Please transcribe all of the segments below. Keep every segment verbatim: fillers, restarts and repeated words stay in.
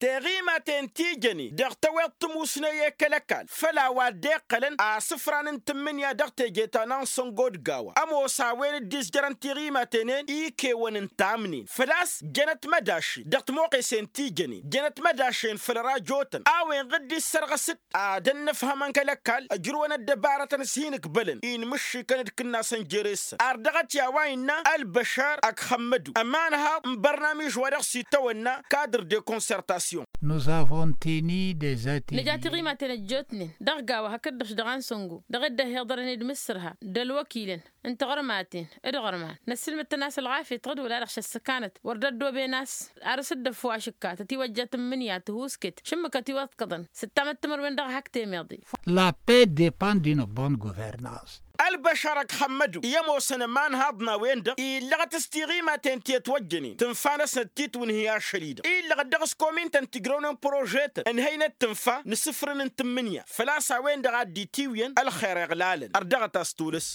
Tiɣimaten ti jănen dăɣ-tăweḍ timusne i-kăl-ăkall făll-a-wa dd-iqqălăn asǝfran n-tǝmmǝnǝya dăɣ-teje ta n-ansăngo d-gawa ămoos a-wen dd-izjărăn tiɣimaten-en ikewăn n-tamnen făl-a-s jănăt mădašen dăɣ-timoɣesen ti jănen jănăt mădašen făll-rajotăn a-wen ɣǝdd-issărɣăs-dd ad-ănnăfhămăn kăl-ăkall ăjrǝwăn ăddăbarătăn s-hin-ǝkbălăn inmǝššikăn d-kǝnnasăn jere-săn ar dăɣ-t i-a-wa innă ălbăšar ăkxămmădu ămanhaḍ n-bărnamiž wa dăɣ-s itawănna kadr de concertation. Nǝja tiɣimaten ăjjootnen dăɣ-gawa hakd-dăɣ-š dăɣ-ansăngo dăɣ-dd-ăhhiḍărăn d-imǝssǝrha d-ălwăkilăn n-tiɣărmaten d-iɣărman năssǝlmǝd-tăn a-s ălɣafyăt ɣǝd wăla dăɣ-š ăssăkanăt wăr dd-ăddoben a-s ar s-dd-ăfwašǝkka tătiwăjja tǝmmǝnǝya tihusket šǝmmǝkăt iwăḍkăḍăn s-ǝttamăt timărwen dăɣ-hak temeḍe. La paix depend d'une bonne gouvernance. Ălbăšar ăkxămmădu i-ămoosăn ămanhaḍ n-a-wen-dăɣ illăɣăt s-tiɣimaten ti ătwăjjănen tǝnfa-năsnăt titwǝnhǝy ašăl-i-dăɣ illăɣăt dăɣ-s komintăn tǝjrăwnen prožetăn ǝnhăynăt tǝnfa n-asǝfrǝn n-tǝmmǝnǝya făl-a-s a-wen-dăɣ a dd-itiwǝyăn ălxer iɣlalăn ărdăɣăt a-s tolăs.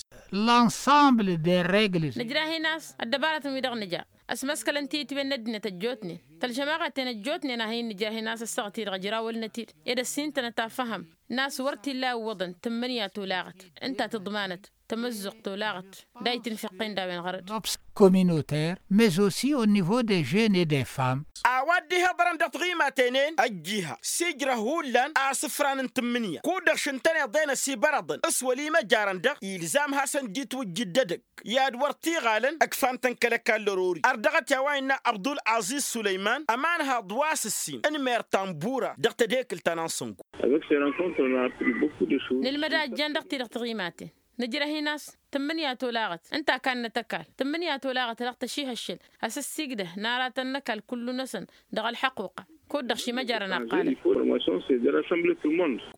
L'ensemble des règles. Nǝjrahin a-s ăddăbarătăn-wi-dăɣ nǝja ăsmăskălăn tiyǝtwen n-ăddinăt ăjjootnen tălžămaɣaten ăjjootnen a hin-nǝjrahin a-s ăssaɣăt-i-dăɣ ǝjrawălnăt-dd ed ăssintănăt afăhăm n-a-s wăr t-illa iwwăḍăn tǝmmǝnǝya tolaɣăt ǝnta tǝḍmanăt tămăzzuɣt tolaɣăt d-a itǝnfeqqen d-a-wen ɣărăt. Communautaire mais aussi au niveau des jeunes et des femmes. A-wa dd-ihiḍărăn dăɣ-tiɣimaten-en ăjjiha s-ijrăh hullan asǝfran n-tǝmmǝnǝya kud-dăɣ šǝntăneḍ-en ăsibărăḍăn s-wăla imăjarăn-dăɣ ilzam hasăn-dd-itwǝjjǝd d-edăgg i-ad-wăr t-iɣalăn ǝkfan-tăn kăl-ăkall ărori ar dăɣ-t i-a-wa innă abdul-aziz sulăyman ămanhaḍ wa s-ǝssin n-mer tambura dăɣ-tedekǝlt ta n-ansăngo. Nǝlmăd a ǝjjan dăɣ-ti-dăɣ tiɣimaten nǝjrăh-in a-s tǝmmǝnǝya tolaɣăt ǝnta a kannăt ăkall tǝmmǝnǝya tolaɣăt dăɣ-tăšihăššǝl asǝssigdăh n-aratăn n-ăkall kullu-năsăn dăɣ-ălḥăquqa. Kud-dăɣ šimăjarăn ăqqalăn.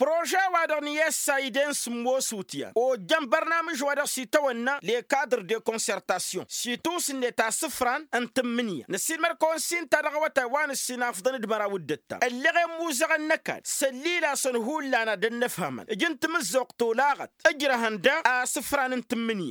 Prože-wa-dăɣ n-i-ăssayden s-ămmoos utyan ojjăn bărnamǝž wa dăɣ-s itawănna lekadr de concertation s-itusǝnnet asǝfran n-tǝmmǝnǝya năssiilmăd-kăwăn s-inta dăɣ-awătay wa nǝssin afḍăn d-măraw d-ǝttam ălleɣ i-ămmuzăɣăn n-ăkall s-ăllil-asăn hullan ad-ănnăfhămăn ǝjǝn tamǝzzuɣt tolaɣăt ǝjrăhăn daɣ asǝfran n-tǝmmǝnǝya.